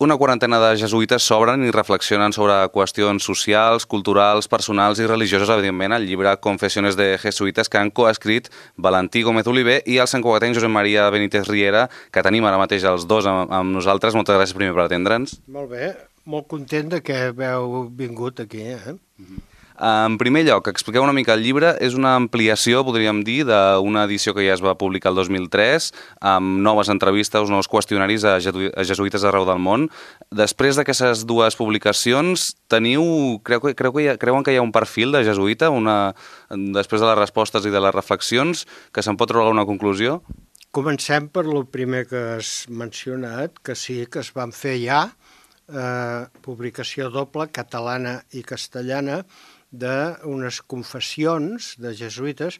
una quarantena de jesuïtes s'obren i reflexionen sobre qüestions socials, culturals, personals i religioses, evidentment, al llibre Confessiones de Jesuïtes, que han coescrit Valentí Gómez Oliver i el santcugatenc Josep Maria Benítez Riera, que tenim ara mateix els dos amb nosaltres. Moltes gràcies primer per atendre'ns. Molt bé, molt content de que heu vingut aquí, En primer lloc, expliqueu una mica el llibre. És una ampliació, podríem dir, d'una edició que ja es va publicar el 2003, amb noves entrevistes, nous qüestionaris a jesuïtes arreu del món. Després d'aquestes dues publicacions, creuen que hi ha un perfil de jesuïta, després de les respostes i de les reflexions, que se'n pot treure una conclusió? Comencem per el primer que has mencionat, que sí que es van fer ja, publicació doble, catalana i castellana, d'unes confessions de jesuïtes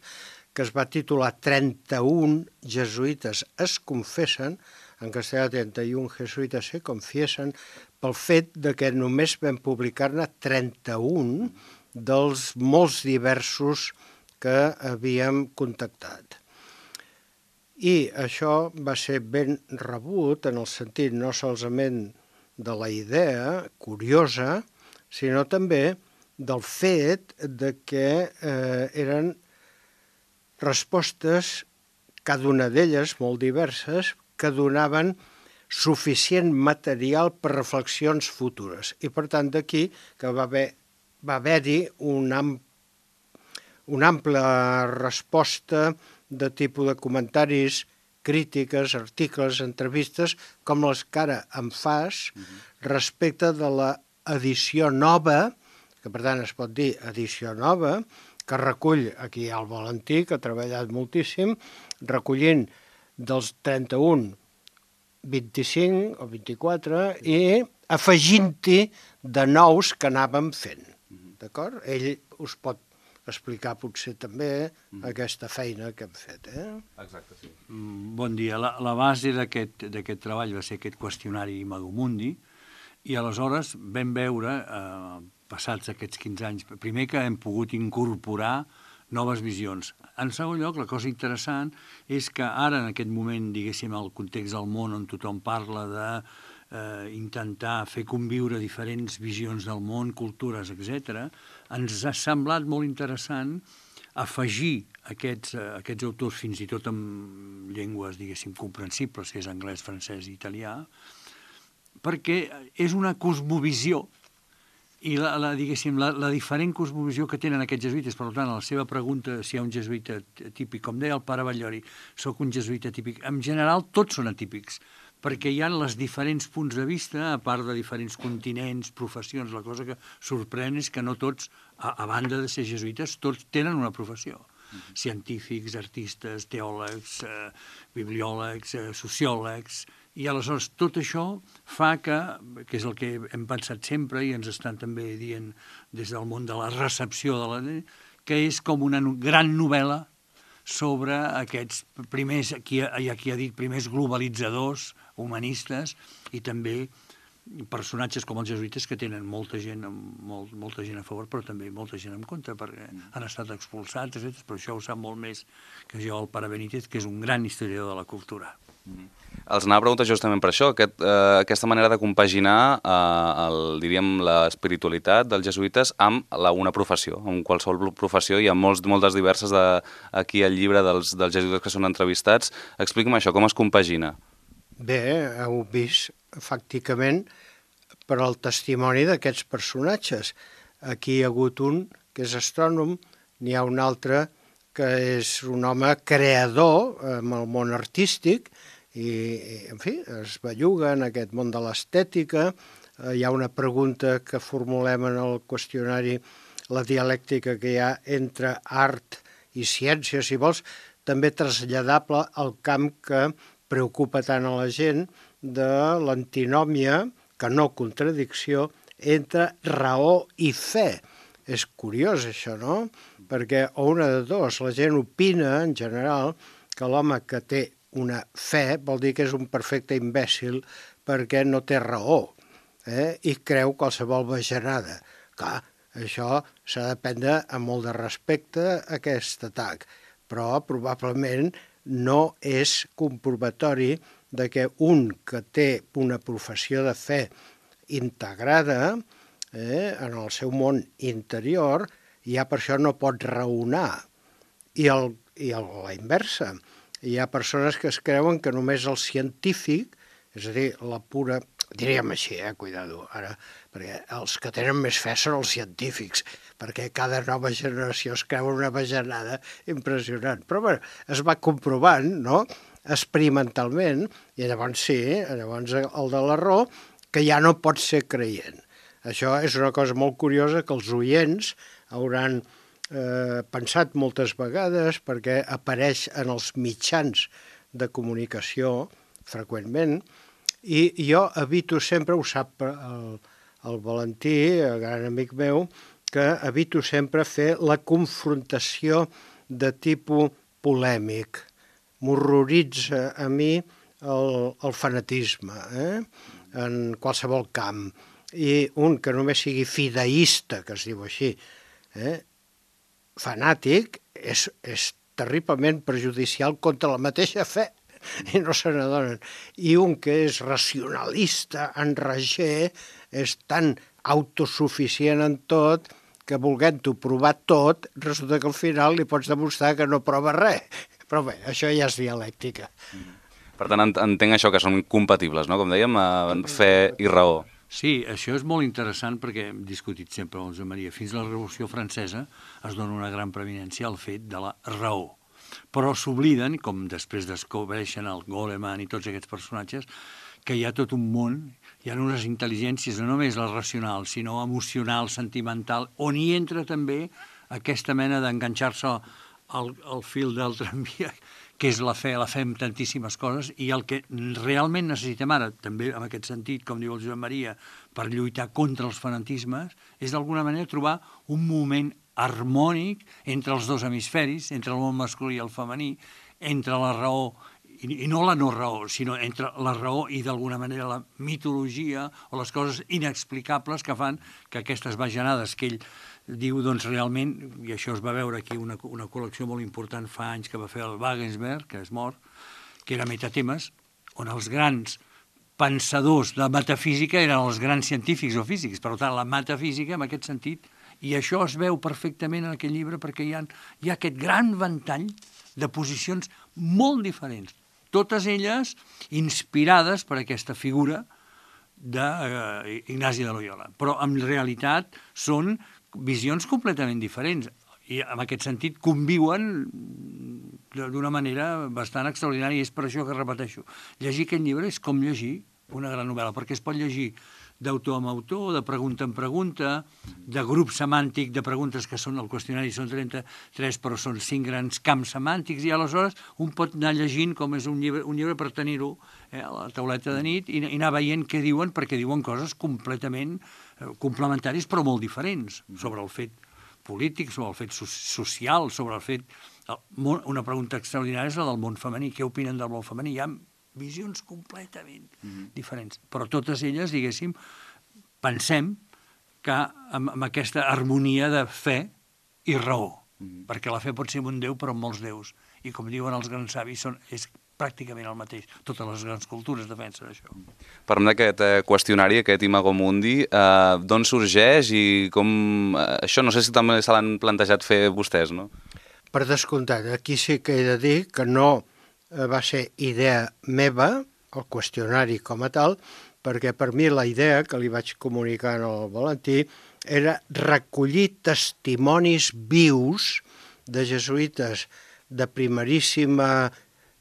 que es va titular 31 jesuïtes es confessen, en castellà 31 jesuïtes se confiesen, pel fet de que només vam publicar-ne 31 dels molts diversos que havíem contactat. I això va ser ben rebut en el sentit no solament de la idea curiosa, sinó també del fet de que eren respostes, cada una d'elles molt diverses, que donaven suficient material per reflexions futures. I per tant d'aquí que va haver-hi una ampla resposta de tipus de comentaris, crítiques, articles, entrevistes, com les que ara em fas respecte de l'edició nova, que per tant es pot dir edició nova, que recull, aquí hi ha el Valentí, que ha treballat moltíssim, recollint dels 31, 25 o 24, i afegint-hi de nous que anàvem fent. D'acord? Ell us pot explicar potser també aquesta feina que hem fet. Exacte, sí. Bon dia. La base d'aquest treball va ser aquest qüestionari Imago-Mundi, i aleshores vam veure, passats aquests 15 anys, primer que hem pogut incorporar noves visions. En segon lloc, la cosa interessant és que ara, en aquest moment, diguéssim, el context del món on tothom parla d'intentar fer conviure diferents visions del món, cultures, etc., ens ha semblat molt interessant afegir aquests autors, fins i tot amb llengües, diguéssim, comprensibles, que és anglès, francès i italià, perquè és una cosmovisió, i la diferent cosmovisió que tenen aquests jesuïtes. Per tant, a la seva pregunta si hi ha un jesuïta típic, com deia el pare Batllori, soc un jesuïta típic. En general, tots són atípics, perquè hi ha els diferents punts de vista, a part de diferents continents, professions. La cosa que sorprèn és que no tots, a banda de ser jesuïtes, tots tenen una professió. Científics, artistes, teòlegs, bibliòlegs, sociòlegs. I aleshores tot això fa que és el que hem pensat sempre i ens estan també dient des del món de la recepció de la llei, que és com una gran novel·la sobre aquests primers, hi ha qui ha dit primers globalitzadors, humanistes, i també personatges com els jesuïtes que tenen molta gent a favor, però també molta gent en contra, perquè han estat expulsats, etc. Però això ho sap molt més que jo, el pare Benítez, que és un gran historiador de la cultura. Els anava a preguntar justament per això, aquesta manera de compaginar, diríem, l'espiritualitat dels jesuïtes amb una professió, amb qualsevol professió. Hi ha moltes diverses aquí al llibre dels jesuïtes que són entrevistats. Expliqui'm això, com es compagina? Bé, heu vist, fàcticament, per al testimoni d'aquests personatges. Aquí hi ha hagut un que és astrònom, n'hi ha un altre que és un home creador en el món artístic, i, en fi, es belluga en aquest món de l'estètica. Hi ha una pregunta que formulem en el qüestionari, la dialèctica que hi ha entre art i ciència, si vols, també traslladable al camp que preocupa tant a la gent de l'antinòmia, que no contradicció, entre raó i fe. És curiós això, no? Perquè o una de dos, la gent opina en general que l'home que té una fe vol dir que és un perfecte imbècil perquè no té raó, i creu qualsevol bajanada. Clar, això s'ha de prendre amb molt de respecte aquest atac, però probablement no és comprovatori de que un que té una professió de fe integrada en el seu món interior, ja per això no pot raonar. I la inversa. Hi ha persones que es creuen que només el científic, és a dir, la pura... Diríem així, cuidado, ara, perquè els que tenen més fe són els científics, perquè cada nova generació es creu una bajanada impressionant. Però bé, es va comprovant, no?, experimentalment, i llavors sí, llavors el de la raó, que ja no pot ser creient. Això és una cosa molt curiosa que els oients hauran pensat moltes vegades, perquè apareix en els mitjans de comunicació freqüentment, i jo evito sempre, ho sap el Valentí, el gran amic meu, que evito sempre fer la confrontació de tipus polèmic. M'horroritza a mi el fanatisme, en qualsevol camp. I un que només sigui fideista, que es diu així, fanàtic, és terriblement perjudicial contra la mateixa fe, i no se n'adonen. I un que és racionalista, enrager, és tan autosuficient en tot que volent-ho provar tot, resulta que al final li pots demostrar que no prova res. Però bé, això ja és dialèctica. Per tant, entenc això, que són compatibles, no? Com dèiem, fe i raó. Sí, això és molt interessant perquè hem discutit sempre amb Josep Maria. Fins a la Revolució Francesa es dona una gran preeminència al fet de la raó. Però s'obliden, com després descobreixen el Goleman i tots aquests personatges, que hi ha tot un món, hi ha unes intel·ligències, no només la racional, sinó emocional, sentimental, on hi entra també aquesta mena d'enganxar-se al fil del tramvia, que és la fe en tantíssimes coses, i el que realment necessitem ara, també en aquest sentit, com diu el Josep Maria, per lluitar contra els fanatismes, és d'alguna manera trobar un moment harmònic entre els dos hemisferis, entre el món masculí i el femení, entre la raó, i no la no raó, sinó entre la raó i d'alguna manera la mitologia o les coses inexplicables que fan que aquestes bajanades que ell diu, doncs realment, i això es va veure aquí una col·lecció molt important fa anys que va fer el Wagensberg, que és mort, que era Metatemes, on els grans pensadors de metafísica eren els grans científics o físics. Per tant, la metafísica, en aquest sentit, i això es veu perfectament en aquest llibre perquè hi ha aquest gran ventall de posicions molt diferents, totes elles inspirades per aquesta figura d'Ignasi de Loyola. Però en realitat són visions completament diferents i en aquest sentit conviuen d'una manera bastant extraordinària, i és per això que repeteixo. Llegir aquest llibre és com llegir una gran novel·la, perquè es pot llegir d'autor en autor, de pregunta en pregunta, de grup semàntic de preguntes que són, el qüestionari són 33, però són 5 grans camps semàntics, i aleshores un pot anar llegint com és un llibre per tenir-ho a la tauleta de nit i anar veient què diuen, perquè diuen coses completament complementàries però molt diferents sobre el fet polític, sobre el fet social, sobre el fet... Una pregunta extraordinària és la del món femení. Què opinen del món femení? Hi ha visions completament diferents. Però totes elles, diguéssim, pensem que amb aquesta harmonia de fe i raó, perquè la fe pot ser un déu però amb molts déus. I com diuen els grans savis, és pràcticament el mateix. Totes les grans cultures defensen això. Parlem d'aquest qüestionari, aquest Imago Mundi, d'on sorgeix i com... Això no sé si també se l'han plantejat fer vostès, no? Per descomptat, aquí sí que he de dir que no va ser idea meva, el qüestionari com a tal, perquè per mi la idea que li vaig comunicar al Valentí era recollir testimonis vius de jesuïtes de primeríssima,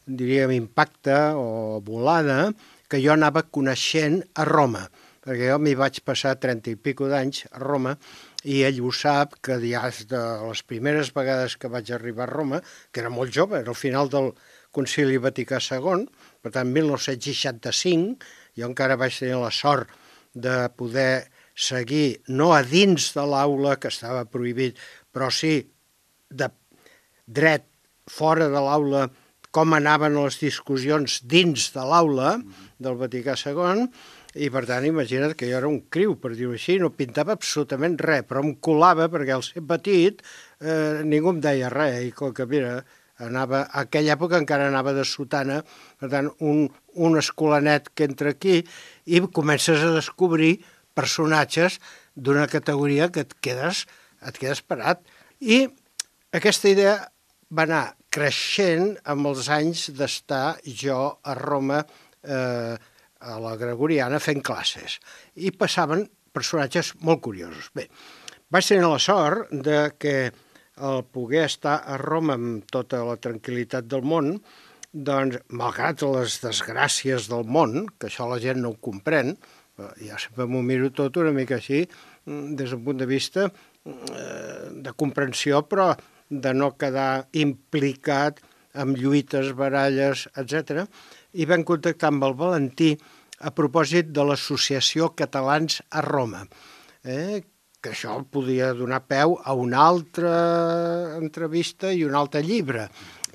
diríem, impacte o volada, que jo anava coneixent a Roma, perquè jo m'hi vaig passar 30 i pico d'anys a Roma, i ell ho sap, que ja de les primeres vegades que vaig arribar a Roma, que era molt jove, era al final del Concili Vaticà II, per tant, 1965, jo encara vaig tenir la sort de poder seguir, no a dins de l'aula, que estava prohibit, però sí de dret fora de l'aula, com anaven les discussions dins de l'aula del Vaticà II, i per tant, imagina't que jo era un criu, per dir-ho així, no pintava absolutament res, però em colava perquè al ser petit ningú em deia res, i com que, mira, a aquella època encara anava de sotana, per tant, un escolanet que entra aquí i comences a descobrir personatges d'una categoria que et quedes parat. I aquesta idea va anar creixent amb els anys d'estar jo a Roma, a la Gregoriana, fent classes. I passaven personatges molt curiosos. Bé, vaig tenir la sort de que al poder estar a Roma amb tota la tranquil·litat del món, doncs, malgrat les desgràcies del món, que això la gent no ho comprèn, ja sempre m'ho miro tot una mica així, des d'un punt de vista de comprensió, però de no quedar implicat amb lluites, baralles, etc. I vam contactar amb el Valentí a propòsit de l'Associació Catalans a Roma, que això podia donar peu a una altra entrevista i un altre llibre.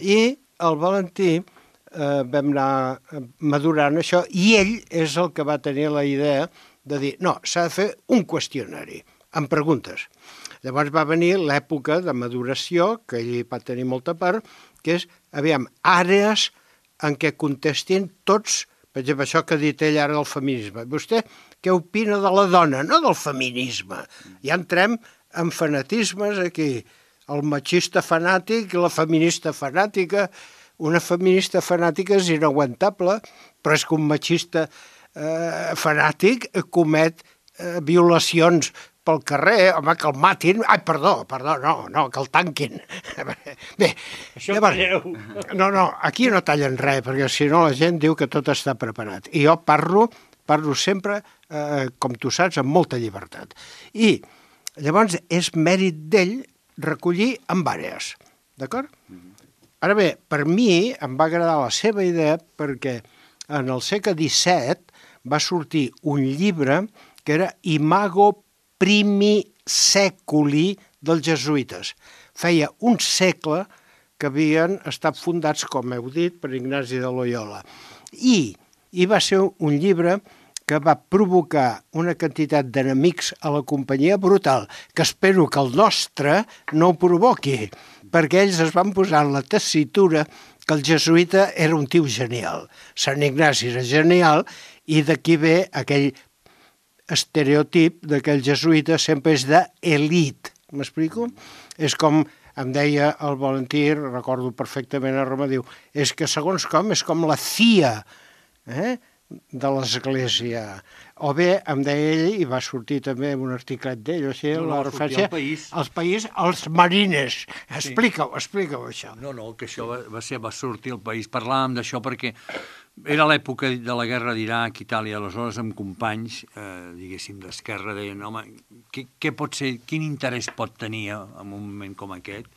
I el Valentí vam anar madurant això i ell és el que va tenir la idea de dir no, s'ha de fer un qüestionari amb preguntes. Llavors va venir l'època de maduració, que ell va tenir molta part, que és, aviam, àrees en què contestin tots, per exemple, això que ha dit ell ara del feminisme. Vostè què opina de la dona, no del feminisme? Ja entrem en fanatismes aquí. El machista fanàtic i la feminista fanàtica. Una feminista fanàtica és inaguantable, però és que un machista fanàtic comet violacions pel carrer, home, que el matin. Ai, perdó, no, que el tanquin. Bé, això llavors, no, aquí no tallen res, perquè si no la gent diu que tot està preparat. I jo parlo sempre, com tu saps, amb molta llibertat. I llavors és mèrit d'ell recollir en àrees, d'acord? Ara bé, per mi em va agradar la seva idea perquè en el segle XVII va sortir un llibre que era Imago Primi Seculi dels jesuïtes. Feia un segle que havien estat fundats, com heu dit, per Ignasi de Loyola. I va ser un llibre que va provocar una quantitat d'enemics a la companyia brutal, que espero que el nostre no ho provoqui, perquè ells es van posar en la tessitura que el jesuïta era un tio genial. Sant Ignasi era genial i d'aquí ve aquell estereotip de que el jesuïta sempre és d'elit. M'explico? És com em deia el Valentí, recordo perfectament a Roma, diu, és que segons com és com la CIA de l'Església. O bé, em deia ell, i va sortir també en un articlet d'ell, o sigui, la referència als marines. Explica-ho, això. No, que això va sortir al País. Parlàvem d'això perquè era l'època de la guerra d'Iraq, Itàlia, aleshores amb companys, diguéssim, d'esquerra, deien, home, què pot ser, quin interès pot tenir en un moment com aquest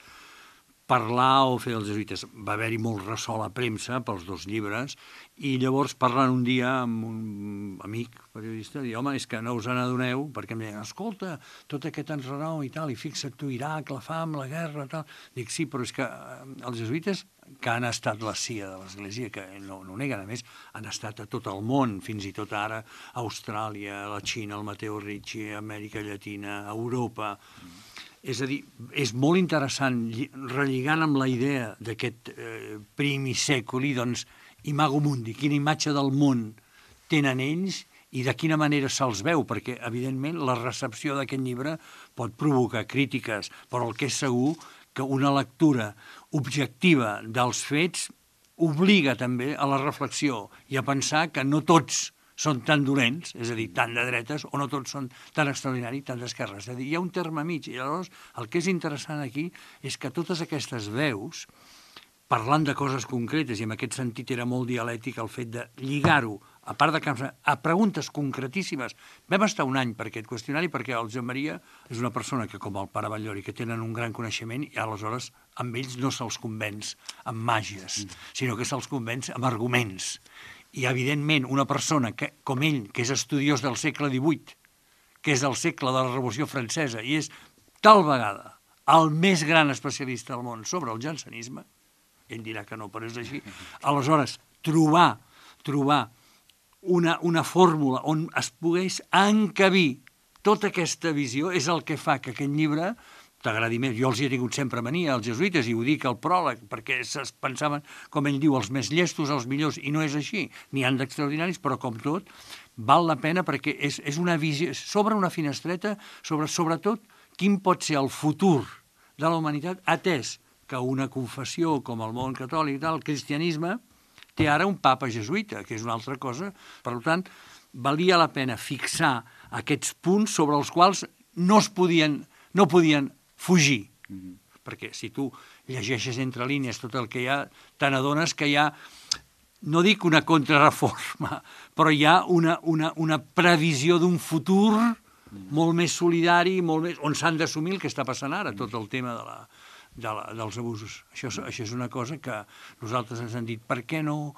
parlar o fer els jesuïtes? Va haver-hi molt ressò a la premsa pels dos llibres i llavors parlant un dia amb un amic periodista, diu, home, és que no us n'adoneu, perquè em deien, escolta, tot aquest enrenou i tal, i fixa't tu, Iraq, la fam, la guerra, tal. Dic, sí, però és que els jesuïtes, que han estat la CIA de l'Església, que no ho neguen, a més, han estat a tot el món, fins i tot ara, Austràlia, la Xina, el Matteo Ricci, Amèrica Llatina, Europa. És a dir, és molt interessant, relligant amb la idea d'aquest primi seculi, doncs, Imago Mundi, quina imatge del món tenen ells i de quina manera se'ls veu, perquè, evidentment, la recepció d'aquest llibre pot provocar crítiques, però el que és segur que una lectura objectiva dels fets obliga també a la reflexió i a pensar que no tots són tan dolents, és a dir, tan de dretes, o no tots són tan extraordinaris, tan d'esquerres. És a dir, hi ha un terme mig, i llavors el que és interessant aquí és que totes aquestes veus, parlant de coses concretes, i en aquest sentit era molt dialèctic el fet de lligar-ho, a part de a preguntes concretíssimes. Vam estar un any per aquest qüestionari perquè el Josep Maria és una persona que, com el pare Batllori, que tenen un gran coneixement i aleshores amb ells no se'ls convenç amb màgies, sinó que se'ls convenç amb arguments. I, evidentment, una persona que, com ell, que és estudiós del segle XVIII, que és del segle de la Revolució Francesa i és tal vegada el més gran especialista del món sobre el jansenisme, ell dirà que no, però és així, aleshores, trobar una fórmula on es pogués encabir tota aquesta visió és el que fa que aquest llibre t'agradi més. Jo els hi he tingut sempre mania, als jesuïtes, i ho dic al pròleg, perquè es pensaven, com ell diu, els més llestos, els millors, i no és així. N'hi han d'extraordinaris, però com tot, val la pena perquè és una visió, s'obre una finestreta sobre, sobretot, quin pot ser el futur de la humanitat, atès que una confessió com el món catòlic, el cristianisme, té ara un papa jesuïta, que és una altra cosa. Per tant, valia la pena fixar aquests punts sobre els quals no podien fugir. Perquè si tu llegeixes entre línies tot el que hi ha, te n'adones que hi ha, no dic una contrarreforma, però hi ha una previsió d'un futur molt més solidari, on s'han d'assumir el que està passant ara, tot el tema dels abusos. Això és una cosa que nosaltres ens han dit, per què no?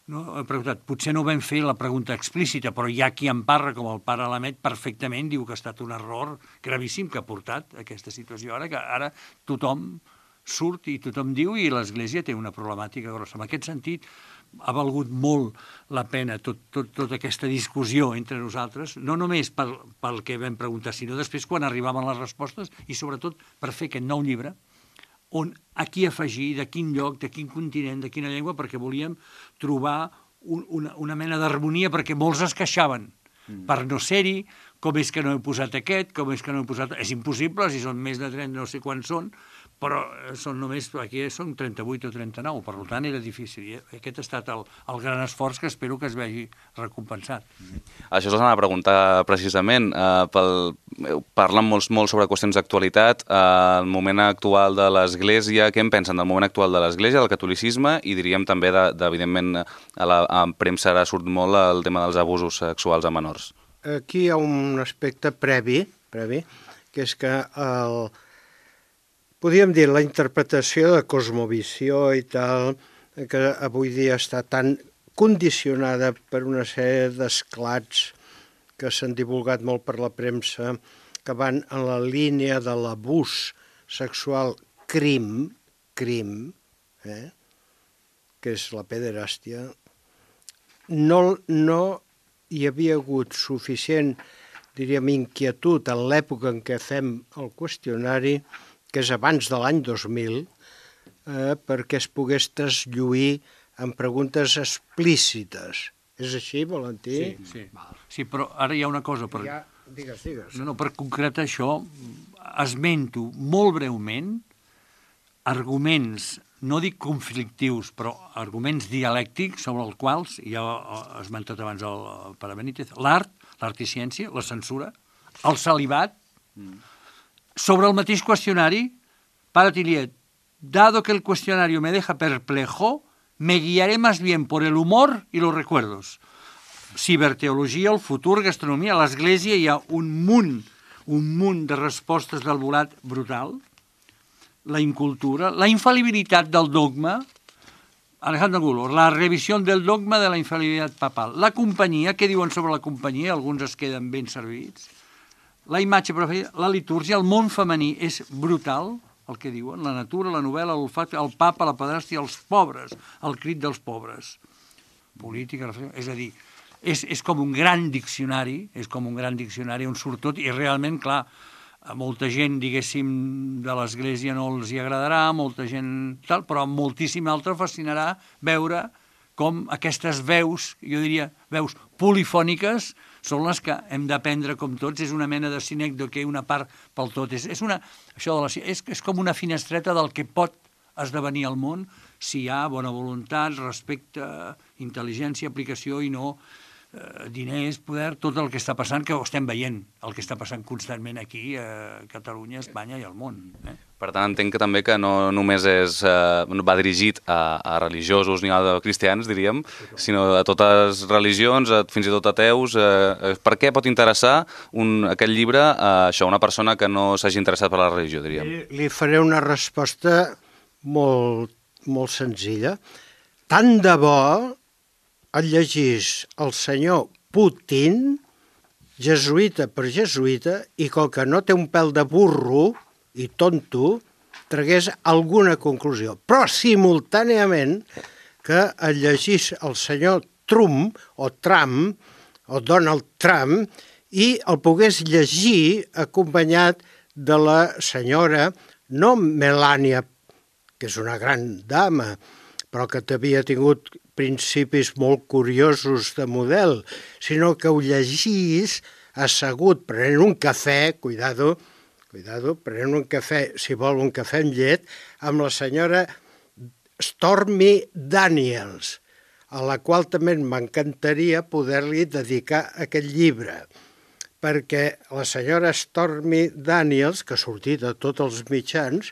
He preguntat, potser no vam fer la pregunta explícita, però hi ha qui en parla, com el pare Lamet, perfectament diu que ha estat un error gravíssim que ha portat a aquesta situació ara, que ara tothom surt i tothom diu i l'Església té una problemàtica grossa. En aquest sentit, ha valgut molt la pena tota aquesta discussió entre nosaltres, no només pel que vam preguntar, sinó després quan arribaven les respostes i sobretot per fer aquest nou llibre, on a qui afegir, de quin lloc, de quin continent, de quina llengua, perquè volíem trobar una mena d'harmonia, perquè molts es queixaven per no ser-hi, com és que no he posat aquest, com és que no he posat... És impossible, si són més de 30, no sé quants són, però són només, aquí són 38 o 39, per tant era difícil. I aquest ha estat el gran esforç que espero que es vegi recompensat. Això us anava a preguntar precisament. Parlen molt sobre qüestions d'actualitat, el moment actual de l'Església, què en pensen del moment actual de l'Església, del catolicisme, i diríem també, evidentment, a la premsa ara surt molt el tema dels abusos sexuals a menors. Aquí hi ha un aspecte previ, que és que podríem dir la interpretació de cosmovisió i tal, que avui dia està tan condicionada per una sèrie d'esclats que s'han divulgat molt per la premsa, que van en la línia de l'abús sexual crim, que és la pederàstia. No hi havia hagut suficient, diríem, inquietud en l'època en què fem el qüestionari, que és abans de l'any 2000, perquè es pogués traslluir en preguntes explícites. És així, Valentí? Sí, però ara hi ha una cosa. Digues. No, per concretar això, esmento molt breument arguments, no dic conflictius, però arguments dialèctics sobre els quals, ja he esmentat abans el pare Benítez, l'art i ciència, la censura, el celibat, sobre el mateix qüestionari, para Tilliet, dado que el cuestionario me deja perplejo, me guiaré más bien por el humor y los recuerdos. Ciberteologia, el futur, gastronomia, a l'Església hi ha un munt de respostes del volat brutal, la incultura, la infalibilitat del dogma, Alejandro Angulo, la revisión del dogma de la infalibilitat papal, la companyia, què diuen sobre la companyia? Alguns es queden ben servits. La imatge preferida, la litúrgia, el món femení és brutal, el que diuen, la natura, la novel·la, l'olfacte, el papa, la pedràstia, els pobres, el crit dels pobres. Política, és a dir, és com un gran diccionari, on surt tot, i realment, clar, a molta gent, diguéssim, de l'Església no els hi agradarà, molta gent tal, però a moltíssima altra fascinarà veure com aquestes veus, jo diria veus polifòniques, són les que hem d'aprendre com tots, és una mena de sinècdoque, una part pel tot. És com una finestreta del que pot esdevenir el món si hi ha bona voluntat, respecte, intel·ligència, aplicació i no diners, poder, tot el que està passant, que ho estem veient, el que està passant constantment aquí a Catalunya, Espanya i al món. Per tant, entenc que també que no només va dirigit a religiosos ni a cristians, diríem, sinó a totes religions, fins i tot ateus. Per què pot interessar aquest llibre a una persona que no s'hagi interessat per la religió, diríem? Li faré una resposta molt, molt senzilla. Tant de bo el llegís el senyor Putin, jesuïta per jesuïta, i com que no té un pèl de burro i tonto, tragués alguna conclusió. Però simultàniament que el llegís el senyor Trump o Donald Trump i el pogués llegir acompanyat de la senyora, no Melania, que és una gran dama, però que havia tingut principis molt curiosos de model, sinó que ho llegís assegut, prenent un cafè, cuidado, prenent un cafè, si vol un cafè amb llet, amb la senyora Stormy Daniels, a la qual també m'encantaria poder-li dedicar aquest llibre, perquè la senyora Stormy Daniels, que ha sortit a tots els mitjans,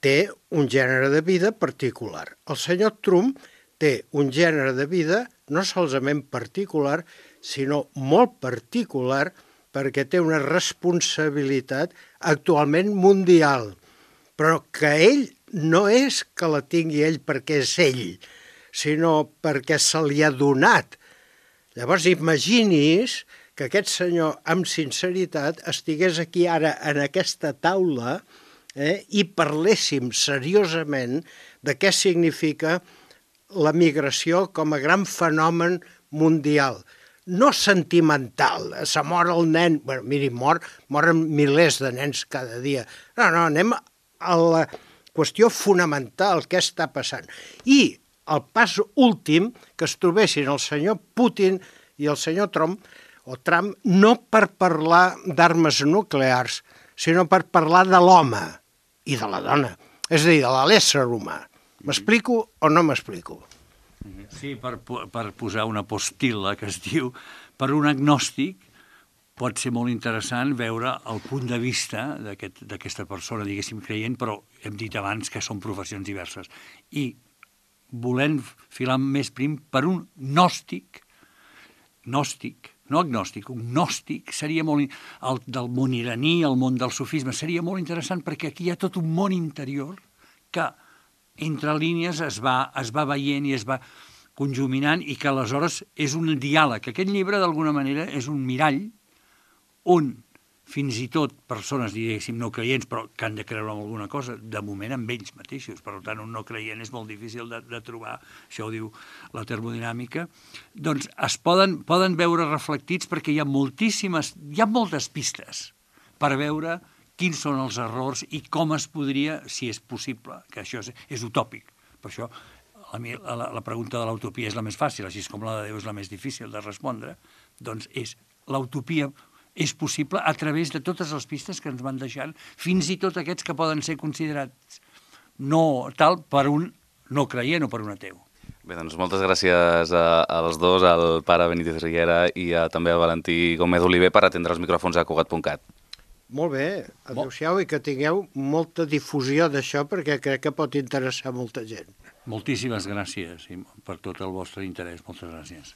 té un gènere de vida particular. El senyor Trump té un gènere de vida no solament particular, sinó molt particular, perquè té una responsabilitat actualment mundial, però que ell no és que la tingui ell perquè és ell, sinó perquè se li ha donat. Llavors imagini's que aquest senyor, amb sinceritat, estigués aquí ara en aquesta taula i parléssim seriosament de què significa la migració com a gran fenomen mundial. No sentimental, se mor el nen, bueno, miri, moren milers de nens cada dia. No, anem a la qüestió fonamental, què està passant. I el pas últim, que es trobessin el senyor Putin i el senyor Trump, no per parlar d'armes nuclears, sinó per parlar de l'home i de la dona, és a dir, de l'ésser humà. M'explico o no m'explico? Sí, per posar una postila que es diu, per un agnòstic pot ser molt interessant veure el punt de vista d'aquesta persona, diguéssim, creient, però hem dit abans que són professions diverses. I volent filar més prim per un gnòstic, no agnòstic, un gnòstic seria molt... El del món iraní, el món del sufisme, seria molt interessant perquè aquí hi ha tot un món interior que entre línies es va veient i es va conjuminant i que aleshores és un diàleg. Aquest llibre, d'alguna manera, és un mirall on fins i tot persones, diguéssim, no creients, però que han de creure en alguna cosa, de moment amb ells mateixos. Per tant, un no creient és molt difícil de trobar, això ho diu la termodinàmica, doncs es poden veure reflectits perquè hi ha moltes pistes per veure quins són els errors i com es podria, si és possible, que això és utòpic. Per això la pregunta de l'utopia és la més fàcil, així com la de Déu és la més difícil de respondre, doncs l'utopia és possible a través de totes les pistes que ens van deixant, fins i tot aquests que poden ser considerats no tal per un no creient o per un ateu. Bé, doncs moltes gràcies als dos, al pare Benítez Riera i també a Valentí Gómez Oliver per atendre els micròfons a Cugat.cat. Molt bé, adéu-siau i que tingueu molta difusió d'això perquè crec que pot interessar molta gent. Moltíssimes gràcies per tot el vostre interès. Moltes gràcies.